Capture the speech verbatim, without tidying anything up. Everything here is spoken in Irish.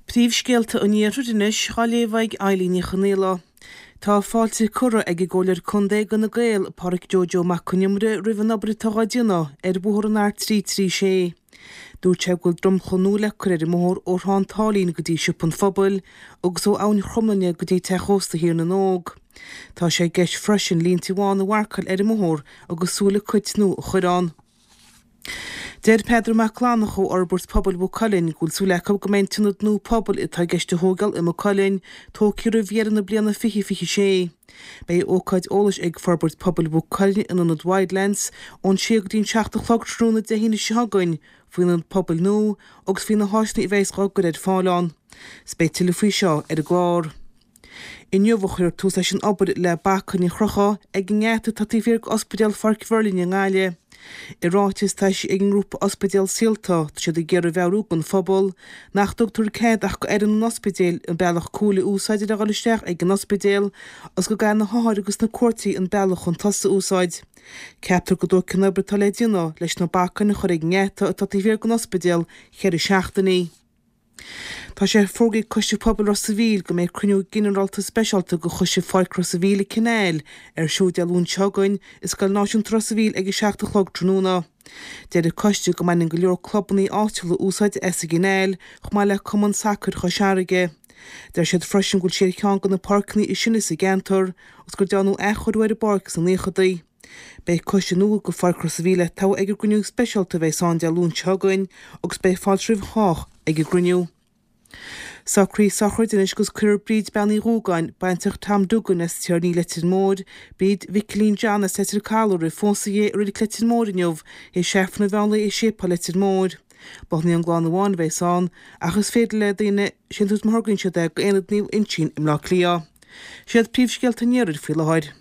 Príomhscéalta an Iarthair anois á léamh ag Eilín Ní Chonaola. Tá fáilte curtha ag an gComhairleoir Contae d'Fhine Gael, Pádraic Joe Joe Mac Con Iomaire roimh an obair atá á déanamh ar bhóthar an R trí trí sé. Dúirt sé go bhfuil dromchla nua le cur ar an mbóthar ó Thrá an tSáilín go dtí Siopa an Phobail agus ó Abhainn Chromghlinne go dtí Teach Ósta Thír na nÓg. Tá sé i gceist freisin línte bhána a mharcáil ar an mbóthar agus súile cait nua a chur ann. Deir Peadar Mac Fhlannchadha ó Fhorbairt Pobail Mhaigh Cuilinn go bhfuil súil acu go mbeidh an t-ionad nua pobail atá i gceist a thógáil i Maigh Cuilinn tógtha roimh dheireadh na bliana fiche fiche sé. Beidh ócáid eolais ag Forbairt Pobail Mhaigh Cuilinn in Ionad Wildlands ón sé go dtí an seacht a chlog tráthnóna Dé hAoine seo chugainn faoin ionad pobail nua agus faoi na háiseanna a bheas á gcur ar fáil ann. 'S beidh tuilleadh faoi seo ar an gclár. Inniu a chuirfear tús leis an obair le bacainní a chrochadh ag an ngeata atá taobh thiar d'Ospidéal Pháirc Mhuirlinne i nGaillimh. I ráiteas atá eisithe ag an ngrúpa Ospidéal Saolta, tá siad ag iarraidh a mheabhrú don phobal nach dtugtar cead ach go fhoireann an ospidéil an bealach cúil a úsáid le dhul isteach ag an ospidéal agus go gcaithfidh na hothair agus na cuairteoirí an bealach chun tosaigh a úsáid. Ceaptar go dtógfaidh an obair atá le déanamh leis na bacainní a chur ag an ngeata atá taobh thiar den ospidéal ceithre seachtainí. Tá sé fógraithe ag Coiste Pobail Ros a' Mhíl go mbeidh cruinniú ginearálta speisialta de Choiste Pháirc Ros a' Mhíl i Canal ar siúl Dé Luain seo chugainn i Scoil Náisiúnta Ros a' Mhíl ag a seacht a chlog tráthnóna. Deir an coiste go mbaineann go leor clubanna áitiúla úsáid as an gCanáil chomh maith le Cumann Sacair Chois Fharraige. Deir siad freisin go bhfuil sé ar cheann de na páirceanna is sine sa gceantar agus gur dearnadh athchóiriú ar an bpáirc sna naochadaí. Beidh coiste nua do Pháirc Ros a' Mhíl le toghadh ag an gcruinniú speisialta a bheidh ann Dé Luain seo chugainn agus beidh fáilte roimh chách ag an gcruinniú. Socruithe sochraide anois agus cuirfear Bríd Bean Uí Dhúgáin, baintreach Tom Duggan as Tiarnaí Leitir Móir, Bríd Mhicilín John as Leitir Caladh roimh phósadh di i Reilig Leitir Móir inniu, théis Aifreann an mheán lae i Séipéal Leitir Móir. Bothán an gclann amháin a bheas ann, ach is féidir le daoine síntiús má thograíonn siad é go Aonad Naomh Uinseann i mBleá Cliath. Siad príomhscéalta an Iarthair faoi láthair.